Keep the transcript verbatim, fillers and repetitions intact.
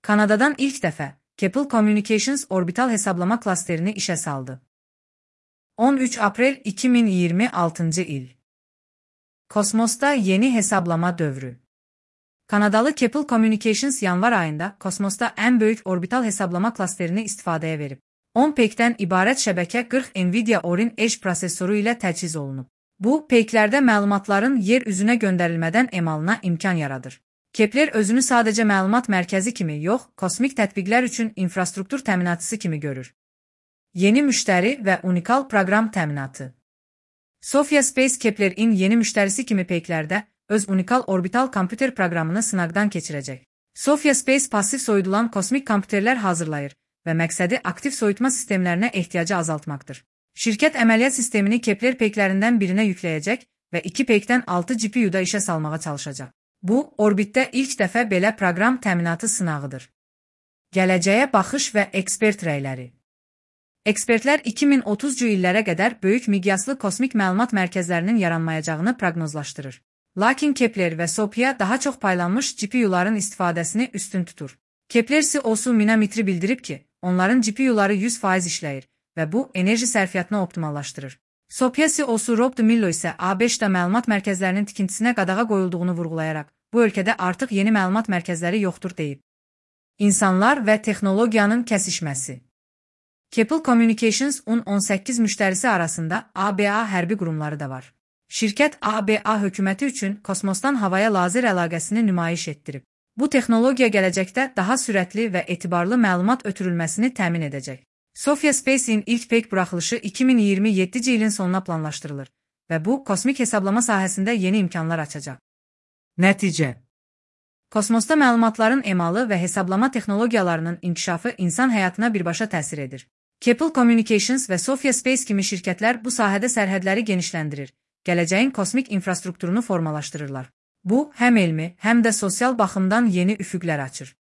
Kanadadan ilk dəfə Keppel Communications orbital hesablama klasterini işə saldı. on üç aprel iki min iyirmi altıncı il. Kosmosda yeni hesablama dövrü. Kanadalı Keppel Communications yanvar ayında kosmosda ən böyük orbital hesablama klasterini istifadəyə verib. on peykdən ibarət şəbəkə qırx Nvidia Orin Edge prosesoru ilə təchiz olunub. Bu, peyklərdə məlumatların yer üzünə göndərilmədən emalına imkan yaradır. Kepler özünü sadəcə məlumat mərkəzi kimi yox, kosmik tətbiqlər üçün infrastruktur təminatısı kimi görür. Yeni müştəri və unikal proqram təminatı. Sophia Space Kepler-in yeni müştərisi kimi peyklərdə öz unikal orbital kompüter proqramını sınaqdan keçirəcək. Sophia Space pasiv soyudulan kosmik kompüterlər hazırlayır və məqsədi aktiv soyutma sistemlərinə ehtiyacı azaltmaqdır. Şirkət əməliyyat sistemini Kepler peyklərindən birinə yükləyəcək və iki peykdən altı G P U-da işə salmağa çalışacaq. Bu, orbitdə ilk dəfə belə proqram təminatı sınağıdır. Gələcəyə baxış və ekspert rəyləri. Ekspertlər iki min otuzuncu illərə qədər böyük miqyaslı kosmik məlumat mərkəzlərinin yaranmayacağını proqnozlaşdırır. Lakin Kepler və Sophia daha çox paylanmış G P U-ların istifadəsini üstün tutur. Kepler C E O-su Mina Mitri bildirib ki, onların G P U-ları yüz faiz işləyir və bu, enerji sərfiyyatını optimallaşdırır. Sophia C E O-su Rob DeMillo isə A beşdə məlumat mərkəzlərinin tikintisinə qadağa qoyulduğunu vurğulayaraq, bu ölkədə artıq yeni məlumat mərkəzləri yoxdur deyib. İnsanlar və texnologiyanın kəsişməsi. Keppel Communications on on səkkiz müştərisi arasında A B A hərbi qurumları da var. Şirkət A B A hökuməti üçün kosmosdan havaya lazer əlaqəsini nümayiş etdirib. Bu texnologiya gələcəkdə daha sürətli və etibarlı məlumat ötürülməsini təmin edəcək. Sophia Space-in ilk peyk buraxılışı iki min iyirmi yeddinci ilin sonuna planlaşdırılır və bu, kosmik hesablama sahəsində yeni imkanlar açacaq. Nəticə. Kosmosda məlumatların emalı və hesablama texnologiyalarının inkişafı insan həyatına birbaşa təsir edir. Keppel Communications və Sophia Space kimi şirkətlər bu sahədə sərhədləri genişləndirir, gələcəyin kosmik infrastrukturunu formalaşdırırlar. Bu, həm elmi, həm də sosial baxımdan yeni üfüqlər açır.